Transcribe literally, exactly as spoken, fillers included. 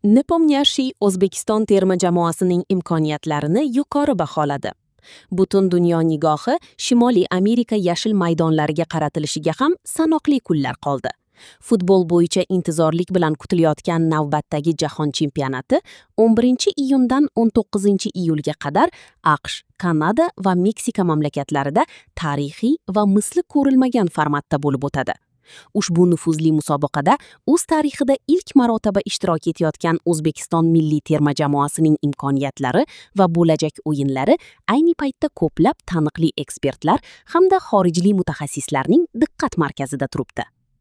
Nepomniachtchi O'zbekiston terma jamoasining imkoniyatlarini yuqori baholadi. Butun dunyo nigohi Shimoliy Amerika yashil maydonlariga qaratilishiga ham sanoqli kunlar qoldi. Futbol bo'yicha intizorlik bilan kutilayotgan navbatdagi jahon chempionati o'n birinchi iyundan o'n to'qqizinchi iyulga qadar A Q Sh, Kanada va Meksika mamlakatlarida tarixiy va misli ko'rilmagan formatda bo'lib o'tadi. Ushbu nufuzli musobaqada o'z tarixida ilk marotaba ishtirok etayotgan O'zbekiston milliy terma jamoasining imkoniyatlari va bo'lajak o'yinlari ayni paytda ko'plab taniqli ekspertlar hamda xorijlik mutaxassislarning diqqat markazida turibdi.